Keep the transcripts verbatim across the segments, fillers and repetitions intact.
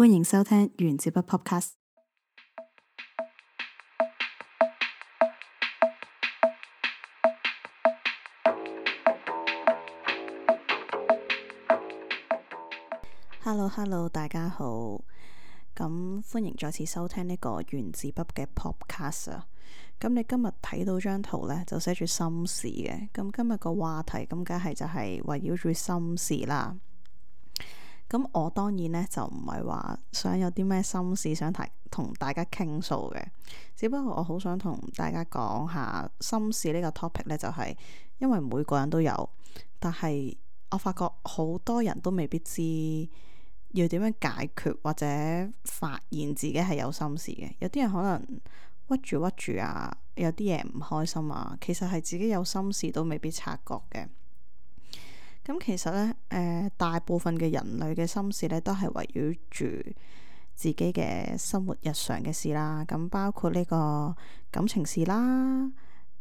歡迎收聽原子筆 Podcast。Hello Hello，大家好，咁歡迎再次收聽呢個原子筆嘅 Podcast 啊。咁你今日睇到張圖呢，就寫住心事嘅。咁今日個話題咁，梗係就係圍繞住心事啦。咁我當然呢，就唔係話想有啲咩心事想提同大家傾訴嘅，只不過我好想同大家講下心事呢個 topic 呢，就係因為每個人都有，但係我發覺好多人都未必知要點樣解決或者發現自己係有心事嘅。有啲人可能屈住屈住啊，有啲嘢唔開心啊，其實係自己有心事都未必察覺嘅。咁其實呢，誒、呃、大部分嘅人類嘅心事呢，都係圍繞住自己嘅生活日常嘅事啦。咁包括呢個感情事啦，誒、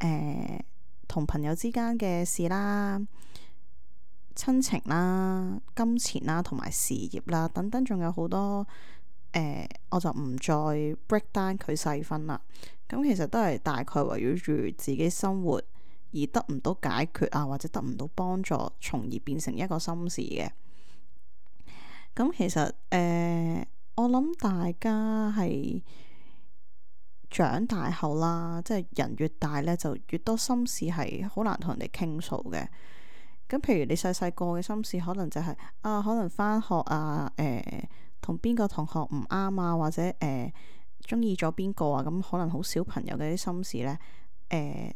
呃、同朋友之間嘅事啦，親情啦、金錢啦，同埋事業啦等等，仲有好多誒、呃，我就唔再 break down 佢細分啦。咁其實都係大概圍繞住自己生活而得唔到解決啊，或者得唔到幫助，從而變成一個心事嘅。咁其實誒、呃，我諗大家係長大後啦，即係人越大呢，就越多心事係好難同人哋傾訴嘅。咁譬如你細細個嘅心事，可能就係、是、啊，可能返學啊，誒同邊個同學唔啱啊，或者誒中意咗邊個啊，咁可能好小朋友嘅啲心事呢。誒、呃。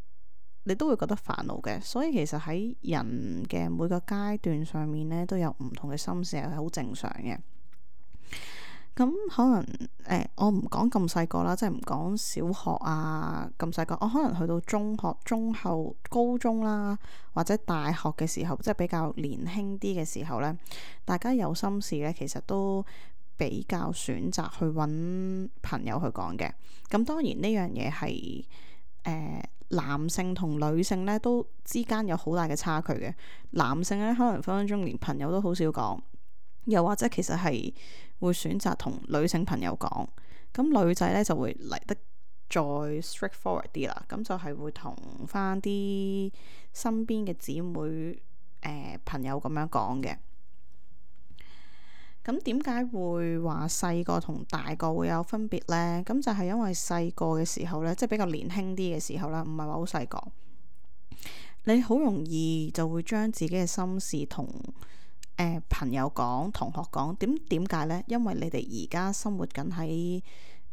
你都會覺得煩惱嘅，所以其實喺人嘅每個階段上面呢，都有唔同嘅心事，係好正常嘅。咁可能誒、呃，我唔講咁細個啦，即係唔講小學啊咁細個，我可能去到中學、中後、高中啦，或者大學嘅時候，即係比較年輕啲嘅時候呢，大家有心事呢，其實都比較選擇去揾朋友去講嘅。咁當然呢樣嘢係誒。呃男性同女性咧都之間有好大嘅差距嘅。男性咧可能分分鐘連朋友都好少講，又或者其實係會選擇同女性朋友講。咁女仔咧就會嚟得再 straightforward 啲啦，咁就係會同翻啲身邊嘅姊妹誒、呃、朋友咁樣講嘅。咁點解會話細個同大個會有分別呢？咁就係因為細個嘅時候呢，即係比較年輕啲嘅時候啦，唔係話好細個，你好容易就會將自己嘅心事同、呃、朋友講、同學講。點點解呢？因為你哋而家生活緊喺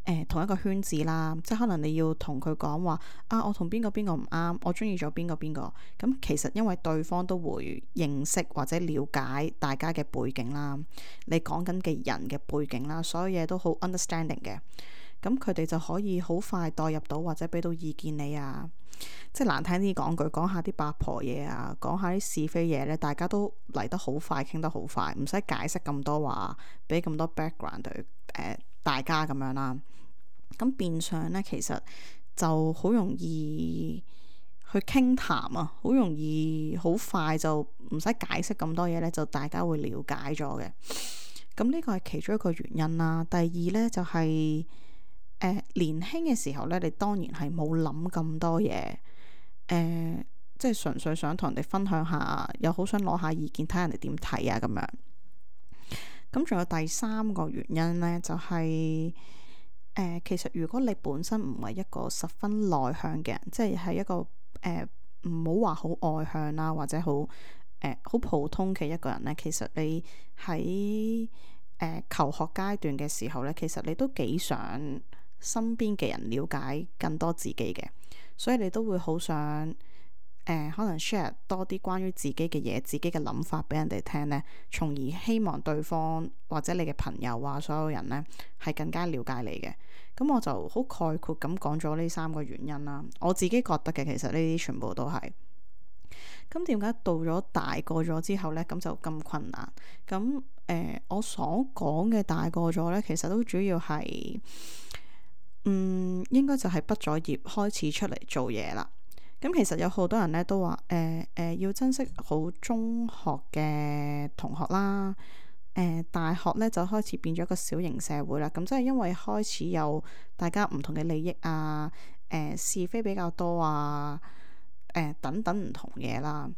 誒同一個圈子啦，即係可能你要同佢講話啊，我同邊個邊個唔啱，我中意咗邊個邊個。咁其實因為對方都會認識或者了解大家嘅背景啦，你講緊嘅人嘅背景啦，所有嘢都好 understanding 嘅。咁佢哋就可以好快代入到或者俾到意見你啊。即係難聽啲講句，講下啲八婆嘢啊，講下啲是非嘢呢，大家都嚟得好快，傾得好快，唔使解釋咁多話，俾咁多 background 對、呃、大家咁樣啦。咁變相呢，其實就好容易去傾談啊，好容易好快就唔使解釋咁多嘢呢，就大家會了解咗嘅。咁呢個係其中一個原因啦。第二呢，就係、是呃、年輕嘅時候呢，你當然係冇諗咁多嘢，誒、呃，即係純粹想同人哋分享下，又好想攞下意見，睇人哋點睇啊咁樣。咁仲有第三個原因呢，就係、是。誒、呃，其實如果你本身唔係一個十分內向嘅人，即係係一個誒唔好話好外向啦，或者好誒好普通嘅一個人呢，其實你喺誒、呃、求學階段嘅時候呢，其實你都幾想身邊嘅人了解更多自己嘅，所以你都會好想誒、呃、可能 share 多啲關於自己嘅嘢、自己嘅諗法俾人哋聽呢，從而希望對方或者你嘅朋友啊，所有人呢係更加了解你嘅。咁我就好概括咁講咗呢三個原因啦。我自己覺得嘅，其實呢啲全部都係。咁點解到咗大個咗之後呢，咁就咁困難？咁誒、呃，我所講嘅大個咗呢，其實都主要係，嗯，應該就係畢咗業開始出嚟做嘢啦。咁其實有好多人咧都話誒誒要珍惜好中學嘅同學啦，呃、大學呢就開始變咗一個小型社會啦。咁即係因為開始有大家唔同嘅利益啊，誒、呃、是非比較多啊，誒、呃、等等唔同嘢啦。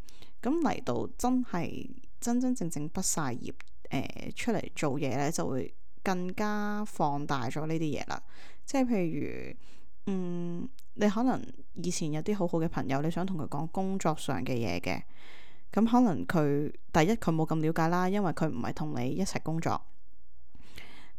咁嚟到真係真真正正畢晒業，誒、呃、出嚟做嘢呢，就會更加放大咗呢啲嘢啦。即係譬如，嗯，你可能以前有啲好好嘅朋友，你想同佢講工作上嘅嘢嘅，咁可能佢第一佢冇咁了解啦，因為佢唔係同你一齊工作。誒、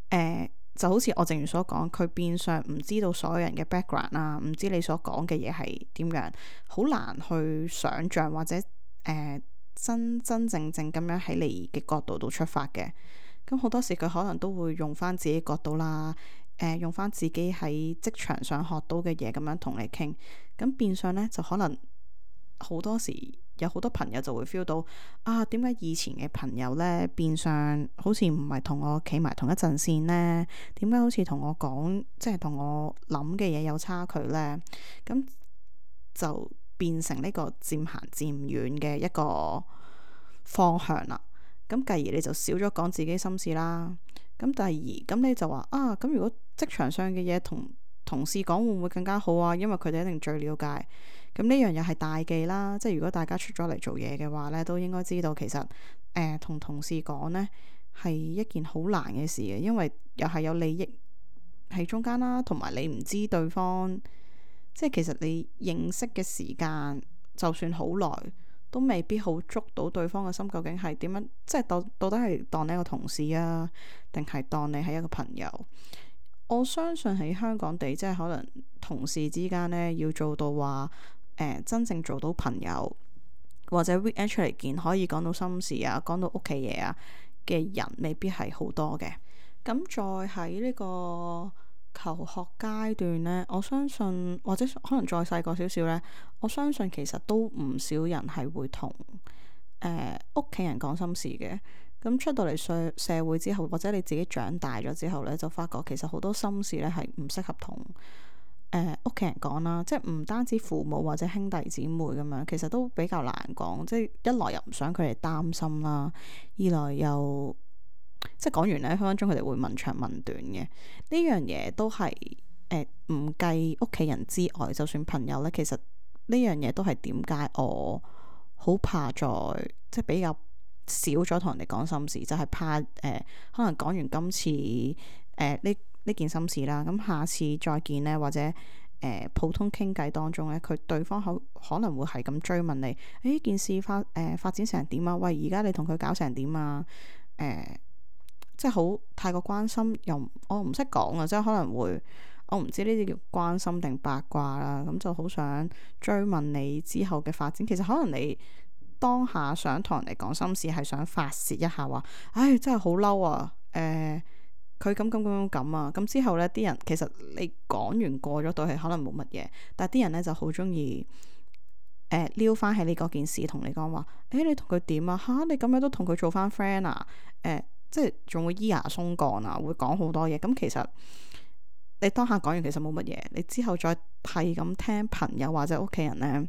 呃，就好似我正如所講，佢變相唔知道所有人嘅 background 啊，唔知你所講嘅嘢係點樣，好難去想像或者誒、呃、真真正正咁樣喺你嘅角度度出發嘅。咁好多時佢可能都會用翻自己角度啦，誒、呃、用翻自己喺職場上學到嘅嘢咁樣同你傾。咁變相呢，就可能好多時有好多朋友就會 feel 到啊，點解以前嘅朋友呢，變相好似唔係同我企埋同一陣線呢？點解好似同我講即係同我諗嘅嘢有差距呢？咁就變成呢個漸行漸遠嘅一個方向啦。咁繼而你就少咗講自己心事啦。咁第二，咁你就話啊，咁如果職場上嘅嘢同同事講會唔會更加好啊？因為佢哋一定最了解。咁呢樣又係大忌啦。即係如果大家出咗嚟做嘢嘅話呢，都應該知道其實誒同、呃、同事講呢係一件好難嘅事嘅，因為又係有利益喺中間啦，同埋你唔知對方，即係其實你認識嘅時間就算好耐，都未必好捉到對方嘅心究竟係點樣，即係到到底係當你一個同事啊，定係當你係一個朋友？我相信喺香港地，即係可能同事之間呢，要做到話誒、呃、真正做到朋友，或者 weekend 出嚟見可以講到心事啊，講到屋企嘢啊嘅人，未必係好多嘅。咁再喺呢個求學階段呢，我相信或者可能再細個少少呢，我相信其實都唔少人係會同誒屋企人講心事嘅。咁出到嚟社社會之後，或者你自己長大咗之後呢，就發覺其實好多心事呢係唔適合同誒屋企人講啦。即係唔單止父母或者兄弟姊妹咁樣，其實都比較難講。即係一來又唔想佢哋擔心啦，二來又即係講完呢，分分鐘佢哋會問長問短嘅。呢樣嘢都係誒唔計屋企人之外，就算朋友呢，其實呢樣嘢都係點解我好怕再即係比較少咗同人哋講心事，就係、是、怕誒、呃、可能講完今次誒呢呢件心事啦，咁下次再見呢，或者誒、呃、普通傾偈當中呢，佢對方可可能會係咁追問你，誒件事發誒、呃、發展成點啊？喂，而家你同佢搞成點啊？誒、呃，即係好太過關心，又我唔識講啊，即係可能會我唔知呢啲叫關心定八卦啦，咁就好想追問你之後嘅發展。其實可能你當下想同人哋講心事，係想發泄一下話，唉，真係好嬲啊！誒、呃，佢咁咁咁咁啊！咁之後呢啲人其實你講完過咗對係可能冇乜嘢，但係啲人呢就好中意誒撩翻起你嗰件事，同你講話，誒你同佢點啊？嚇你咁樣都同佢做翻 friend 啊？誒、呃，即係仲會咿牙鬆槓啊，會講好多嘢。咁其實你當下講完其實冇乜嘢，你之後再係咁聽朋友或者屋企人呢，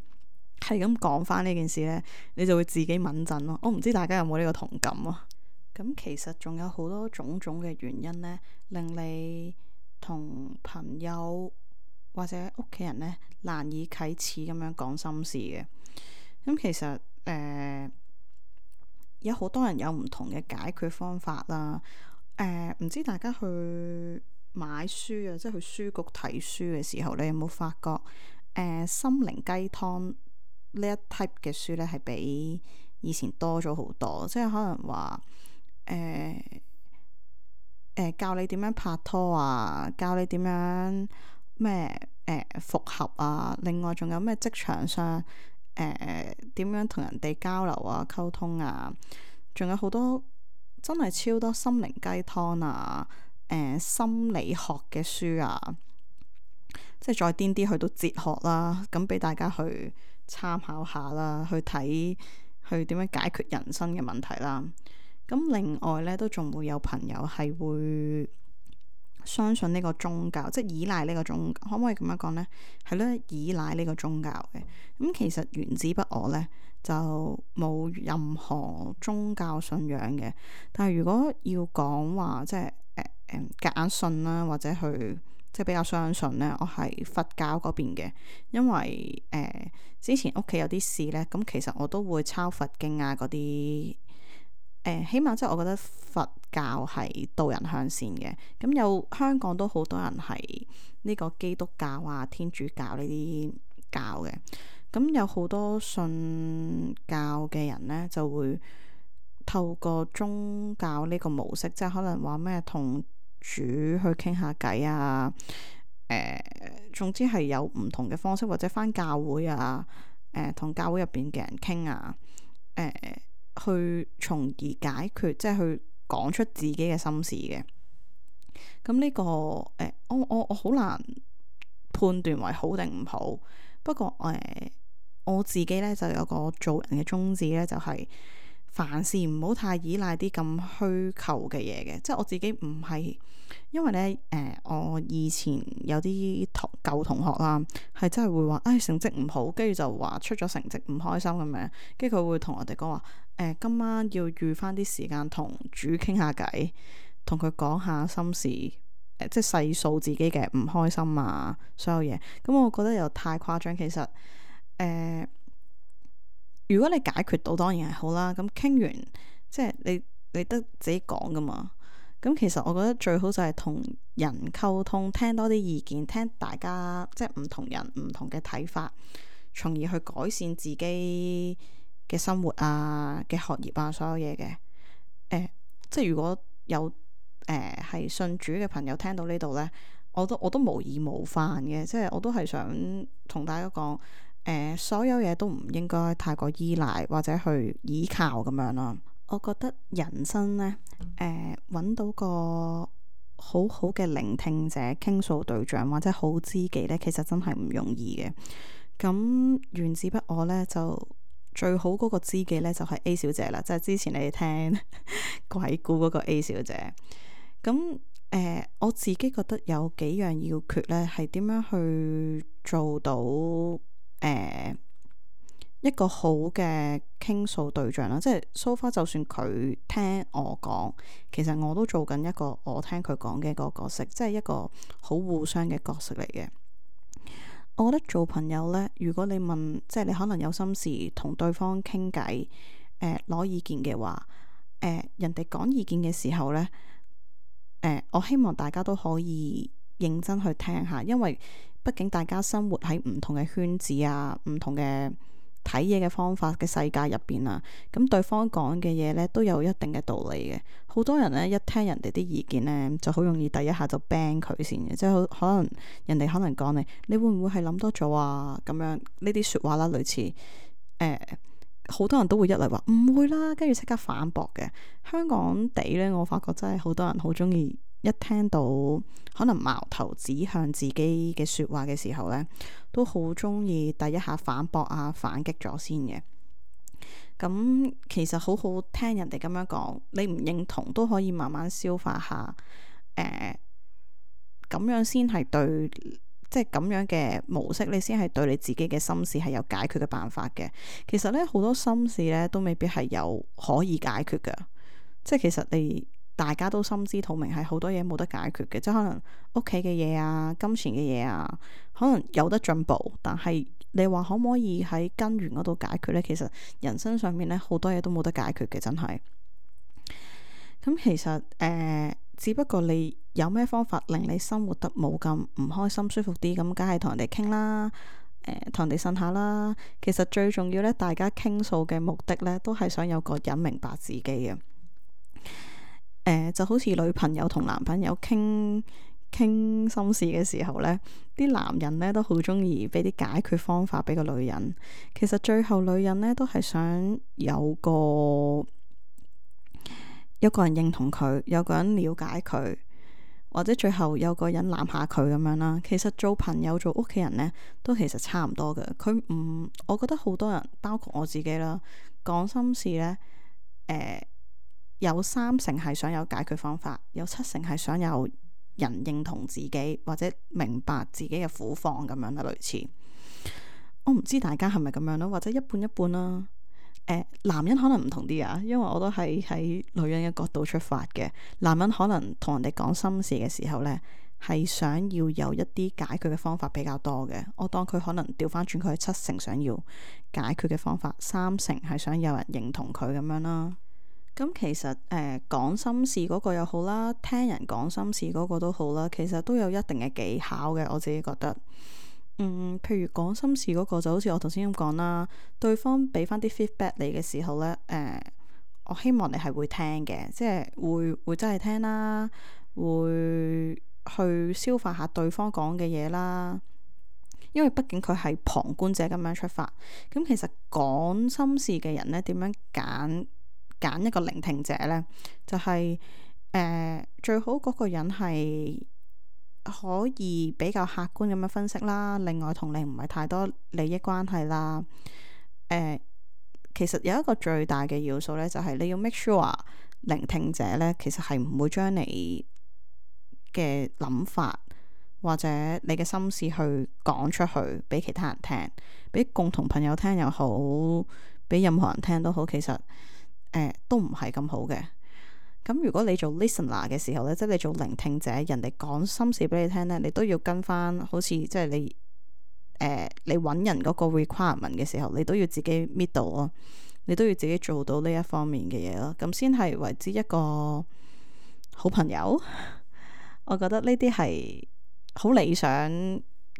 係咁講翻呢件事呢，你就會自己敏震咯。我唔知大家有冇呢個同感啊？咁其實仲有好多種種嘅原因呢，令你同朋友或者屋企人呢難以啟齒咁樣講心事嘅。咁其實誒、呃、有好多人有唔同嘅解決方法啦。誒、呃、唔知大家去買書啊，即係去書局睇書嘅時候，你有冇發覺誒、呃、心靈雞湯呢一 type 嘅書呢係比以前多咗好多，即係可能話誒誒教你點樣拍拖啊，教你點樣咩誒復合啊，另外仲有咩職場上誒點樣同人哋交流啊、溝通啊，仲有好多真係超多心靈雞湯啊、誒、呃、心理學嘅書啊，即係再癲啲去到哲學啦，咁俾大家去參考下啦，去睇去點樣解決人生嘅問題啦。咁另外咧，都仲會有朋友係會相信呢個宗教，即係依賴呢個宗教，可唔可以咁樣講呢？係咧，依賴呢個宗教嘅。咁其實原子筆我呢，就冇任何宗教信仰嘅。但係如果要講話，即係誒誒夾硬信啦，或者去即係比較相信呢，我係佛教嗰邊嘅。因為誒、呃、之前屋企有啲事呢，咁其實我都會抄佛經啊嗰啲。誒，起碼即係我覺得佛教係導人向善嘅。咁有香港都好多人係呢個基督教啊、天主教呢啲教嘅。咁有好多信教嘅人呢，就會透過宗教呢個模式，即係可能話咩同主去傾下偈啊。誒、呃，總之係有唔同嘅方式，或者返教會啊，誒、呃，同教會入邊嘅人傾啊，誒、呃。去從而解決，即係去講出自己嘅心事嘅。咁呢、這個誒、呃，我我我好難判斷為好定唔好。不過誒、呃，我自己咧就有個做人嘅宗旨咧，就係、是、凡事唔好太依賴啲咁虛構嘅嘢嘅。即係我自己唔係，因為咧誒、呃，我以前有啲同舊同學啦，係真係會話，誒、哎、成績唔好，跟住就話出咗成績唔開心咁樣，跟住佢會同我哋講話。誒、呃，今晚要預翻啲時間同主傾下偈，同佢講下心事，誒、呃，即係細數自己嘅唔開心啊，所有嘢。咁、嗯、我覺得又太誇張。其實，誒、呃，如果你解決到，當然係好啦。咁傾完，即係你你得自己講噶嘛。咁其實我覺得最好就係同人溝通，聽多啲意見，聽大家即係唔同人唔同嘅睇法，從而去改善自己嘅生活啊，嘅學業啊，所有嘢嘅，誒、呃，即係如果有誒係、呃、信主嘅朋友聽到呢度呢，我都我都無意冒犯嘅，即係我都係想同大家講，誒、呃，所有嘢都唔應該太過依賴或者去依靠咁樣咯。我覺得人生呢，誒、呃，揾到個好好嘅聆聽者、傾訴對象或者好知己呢，其實真係唔容易嘅。咁原子筆我呢，就。最好嗰個知己呢，就係 A 小姐啦，即係之前你哋聽鬼故嗰個 A 小姐。咁誒、呃，我自己覺得有幾樣要訣呢，係點樣去做到誒、呃、一個好嘅傾訴對象啦。即係 so far，就算佢聽我講，其實我都做緊一個我聽佢講嘅嗰個角色，即係一個好互相嘅角色嚟嘅。我覺得做朋友呢，如果你問，即係你可能有心事同對方傾偈，誒攞意見嘅話，誒、呃、人哋講意見嘅時候呢，誒、呃、我希望大家都可以認真去聽下，因為畢竟大家生活喺唔同嘅圈子啊，唔同嘅睇嘢嘅方法嘅世界入邊啊，咁對方講嘅嘢呢都有一定嘅道理嘅。好多人呢，一聽人哋啲意見呢，就好容易第一下就 ban 佢先嘅，即係可能人哋可能講你，你會唔會係諗多咗啊？咁樣呢啲説話啦，類似誒，好、呃、多人都會一嚟話唔會啦，跟住即刻反駁嘅。香港地呢，我發覺真係好多人好中意一聽到可能矛頭指向自己嘅説話嘅時候呢，都好中意第一下反駁啊，反擊咗先嘅。咁其實好好聽人哋咁樣講，你唔認同都可以慢慢消化下。誒、呃，咁樣先係對，即係咁樣嘅模式，你先係對你自己嘅心事係有解決嘅辦法嘅。其實呢，好多心事呢都未必係有可以解決㗎。即係其實你大家都心知肚明，係好多嘢冇得解決嘅，即係可能屋企嘅嘢啊、金錢嘅嘢啊，可能有得進步，但係你話可唔可以喺根源嗰度解決呢？其實人生上面呢，好多嘢都冇得解決嘅，真係。咁其實誒、呃，只不過你有咩方法令你生活得冇咁唔開心、舒服啲，咁梗係同人哋傾啦，誒、呃，同人哋呻下啦。其實最重要呢，大家傾訴嘅目的呢，都係想有個人明白自己嘅。誒、呃，就好似女朋友同男朋友傾傾心事嘅時候呢，啲男人呢都好中意俾啲解決方法俾個女人。其實最後女人呢都係想有個有個人認同佢，有個人了解佢，或者最後有個人攬下佢咁樣啦。其實做朋友做屋企人呢，都其實差唔多嘅。佢唔，我覺得好多人包括我自己啦，講心事呢，誒、呃。有三成係想有解決方法，有七成係想有人認同自己或者明白自己嘅苦況咁樣啦，類似。我唔知大家係咪咁樣啦，或者一半一半啦。誒、呃，男人可能唔同啲啊，因為我都係喺女人嘅角度出發嘅。男人可能同人哋講心事嘅時候呢，係想要有一啲解決嘅方法比較多嘅。我當佢可能調翻轉，佢係七成想要解決嘅方法，三成係想有人認同佢咁樣啦。咁其實誒講、呃、心事嗰個又好啦，聽人講心事嗰個都好啦，其實都有一定嘅技巧嘅。我自己覺得。嗯，譬如講心事嗰個就好似我頭先咁講啦，對方俾翻啲 feedback 你嘅時候呢，誒、呃，我希望你係會聽嘅，即係會會真係聽啦，會去消化下對方講嘅嘢啦。因為畢竟佢係旁觀者咁樣出發，咁其實講心事嘅人呢，點樣揀揀一個聆聽者呢？就係、是、誒、呃、最好嗰個人係可以比較客觀咁樣分析啦，另外同你唔係太多利益關係啦。誒、呃，其實有一個最大嘅要素呢，就係你要 make sure 聆聽者呢，其實係唔會將你嘅諗法或者你嘅心事去講出去俾其他人聽，俾共同朋友聽又好，俾任何人聽都好，其實誒、呃、都唔係咁好嘅。咁如果你做 listener 嘅時候咧，即係你做聆聽者，人哋講心事俾你聽咧，你都要跟翻，好似即係你誒、呃、你揾人嗰個 requirement 嘅時候，你都要自己 meet 到咯，你都要自己做到呢一方面嘅嘢咯，咁先係為之一個好朋友。我覺得呢啲係好理想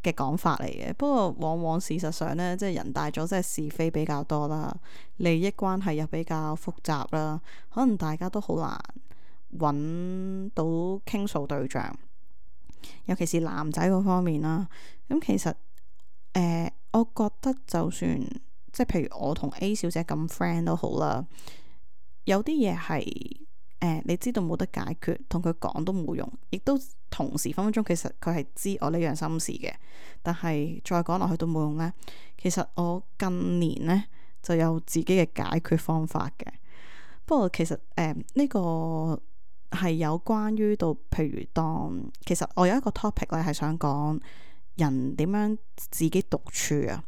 嘅講法嚟嘅，不過往往事實上呢，即係人大咗，即係是非比較多啦，利益關係又比較複雜啦，可能大家都好難揾到傾訴對象，尤其是男仔嗰方面啦。咁其實誒、呃，我覺得就算即係譬如我同 A 小姐咁 friend 都好啦，有啲嘢係。誒、呃，你知道冇得解決，同佢講都冇用，亦都同時分分鐘其實佢係知我呢樣心事嘅，但係再講落去都冇用呢。其實我近年呢就有自己嘅解決方法嘅，不過其實誒呢、呃這個係有關於到，譬如當其實我有一個 topic 咧係想講人點樣自己獨處啊。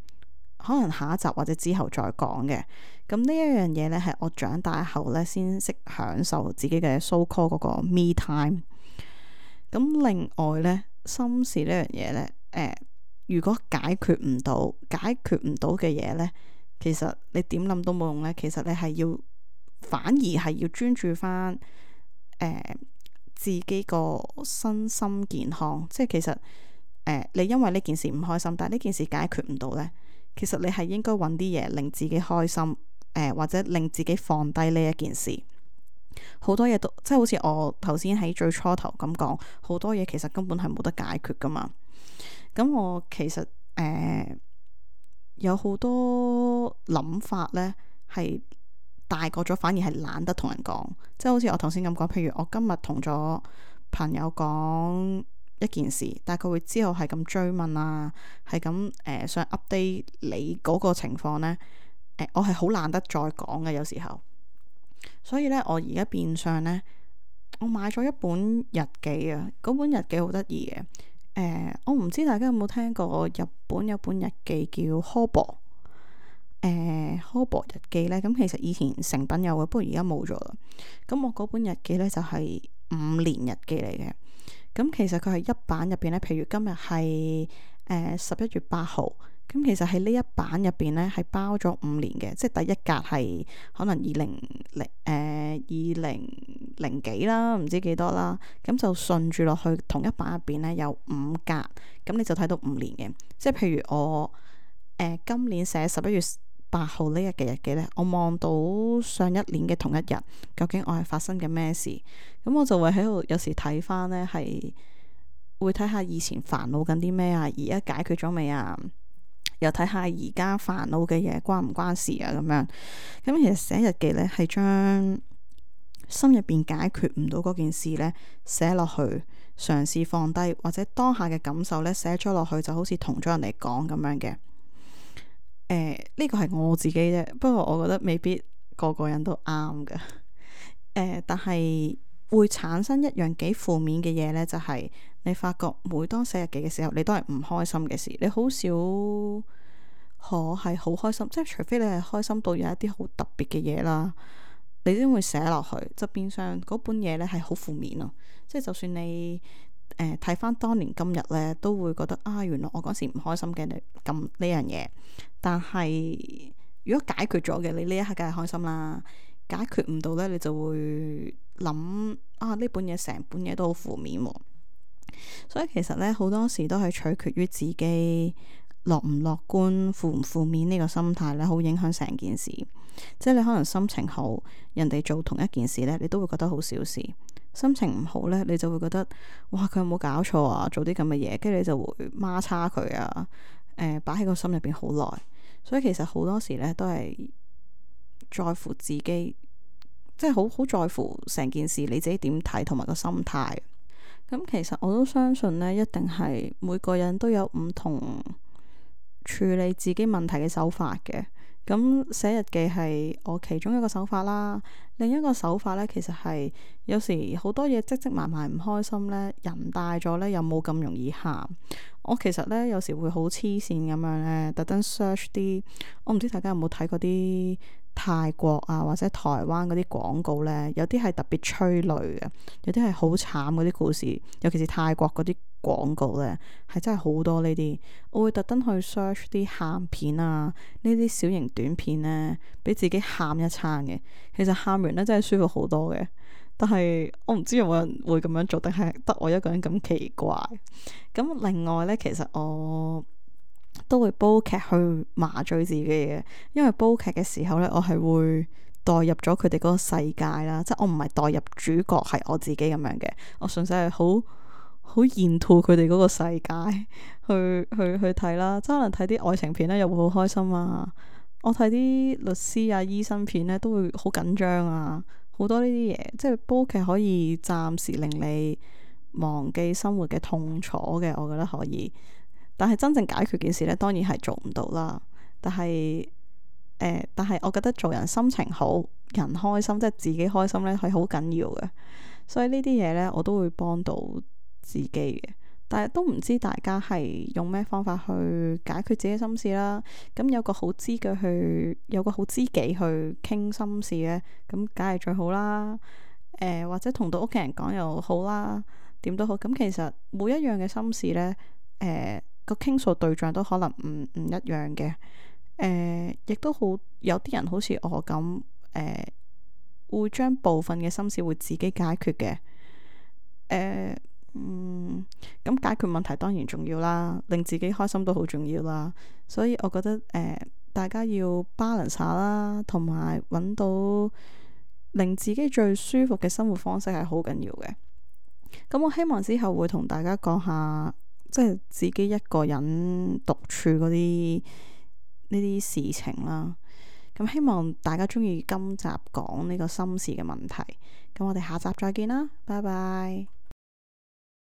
可能下一集或者之後再講嘅，咁呢一樣嘢呢，係我長大後呢先識享受自己嘅 so call 嗰個 me time。咁另外呢，心事呢樣嘢呢，誒、呃，如果解決唔到，解決唔到嘅嘢呢，其實你點諗都冇用呢。其實你係要反而係要專注翻誒、呃、自己個身心健康。即係其實誒、呃，你因為呢件事唔開心，但係呢件事解決唔到呢。其實你係應該揾啲嘢令自己開心，誒、呃、或者令自己放低呢一件事。好多嘢都即係好似我頭先喺最初頭咁講，好多嘢其實根本係冇得解決噶嘛。咁我其實誒、呃、有好多諗法呢，係大個咗反而係懶得同人講。即係好似我頭先咁講，譬如我今日同咗朋友講一件事，但係佢會之後係咁追問啊，係咁誒想 update 你嗰個情況呢。誒、呃、我係好懶得再講嘅有時候，所以呢，我而家變相呢，我買咗一本日記啊，嗰本日記好得意嘅。誒、呃、我唔知大家有冇聽過日本有本日記叫 Hobo， 誒 Hobo 日記呢，咁其實以前成品有嘅，不過而家冇咗啦。咁我嗰本日記呢，就係五年日記嚟嘅。咁其實佢係一版入邊咧，譬如今日係誒十一月八號，咁其實喺呢一版入邊咧係包咗五年嘅，即係第一格係可能二零零誒二零零幾啦，唔知幾多啦，咁就順住落去同一版入邊咧有五格，咁你就睇到五年嘅，即係譬如我誒、呃、今年寫十一月八號呢日嘅日記呢，我望到上一年嘅同一日，究竟我係發生緊咩事？咁我就會喺度有時睇翻呢，係會睇下以前煩惱緊啲咩啊，而家解決咗未啊？又睇下而家煩惱嘅嘢關唔關事啊？咁樣咁其實寫日記呢，係將心入邊解決唔到嗰件事呢寫落去，嘗試放低，或者當下嘅感受呢寫咗落去，就好似同咗人哋講咁樣嘅。誒，呢個係我自己啫，不過我覺得未必個個人都啱嘅。誒、呃，但係會產生一樣幾負面嘅嘢呢，就係、是、你發覺每當寫日記嘅時候，你都係唔開心嘅事，你好少可係好開心，即係除非你係開心到有一啲好特別嘅嘢啦，你先會寫落去。就變相嗰本嘢呢係好負面咯，即係就算你誒睇翻當年今日呢，都會覺得啊，原來我嗰時唔開心嘅咁呢樣嘢，但係如果解決咗嘅，你呢一刻梗係開心啦。解決唔到呢，你就會諗啊，呢本嘢成本嘢都好負面喎。所以其實呢，好多時都係取決於自己樂唔樂觀、負唔負面呢個心態呢，好影響成件事。即係你可能心情好，人哋做同一件事呢，你都會覺得好小事；心情唔好呢，你就會覺得哇，佢有冇搞錯啊？做啲咁嘅嘢，跟住你就會孖叉佢啊，誒擺喺個心入邊好耐。所以其實好多時呢，都係在乎自己，即係好好在乎成件事你自己點睇同埋個心態。咁其實我都相信呢，一定係每個人都有唔同處理自己問題嘅手法嘅。咁寫日記係我其中一個手法啦，另一個手法呢，其實係有時好多嘢積積埋埋唔開心呢，人大咗呢，又冇咁容易喊。我其實呢，有時會好黐線咁樣呢，特登 search 啲，我唔知大家有冇睇過啲泰國啊或者台灣嗰啲廣告呢，有啲係特別催淚嘅，有啲係好慘嗰啲故事，尤其是泰國嗰啲廣告呢，係真係好多呢啲。我會特登去 search 啲喊片啊，呢啲小型短片呢，俾自己喊一餐嘅。其實喊完呢，真係舒服好多嘅。但係我唔知有冇人會咁樣做，定係得我一個人咁奇怪。咁另外呢，其實我都會煲劇去麻醉自己嘅，因為煲劇嘅時候呢，我係會代入咗佢哋嗰個世界啦，即係我唔係代入主角係我自己咁樣嘅，我純粹係好好沿途佢哋嗰個世界去去去睇啦。即係可能睇啲愛情片呢，又會好開心啊。我睇啲律師啊、醫生片呢，都會好緊張啊。好多呢啲嘢，即係煲劇可以暫時令你忘記生活嘅痛楚嘅，我覺得可以。但係真正解決件事呢，當然係做唔到啦。但係誒、呃，但係我覺得做人心情好，人開心，即係自己開心呢，係好緊要嘅。所以呢啲嘢呢，我都會幫到自己嘅。但係都唔知大家係用咩方法去解決自己心事啦。咁有個好知嘅去，有個好知己去傾心事呢，咁梗係最好啦。誒、呃，或者同到屋企人講又好啦，點都好。咁其實每一樣嘅心事呢，誒、呃、個傾訴對象都可能唔唔一樣嘅。誒、呃，亦都好有啲人好似我咁，誒、呃、會將部分嘅心事會自己解決嘅。誒、呃。嗯，咁解決問題當然重要啦，令自己開心都好重要啦。所以我覺得誒、呃，大家要 balance 下啦，同埋揾到令自己最舒服嘅生活方式係好緊要嘅。咁我希望之後會同大家講下，即係自己一個人獨處嗰啲呢啲事情啦。咁希望大家中意今集講呢個心事嘅問題。咁我哋下集再見啦，拜拜。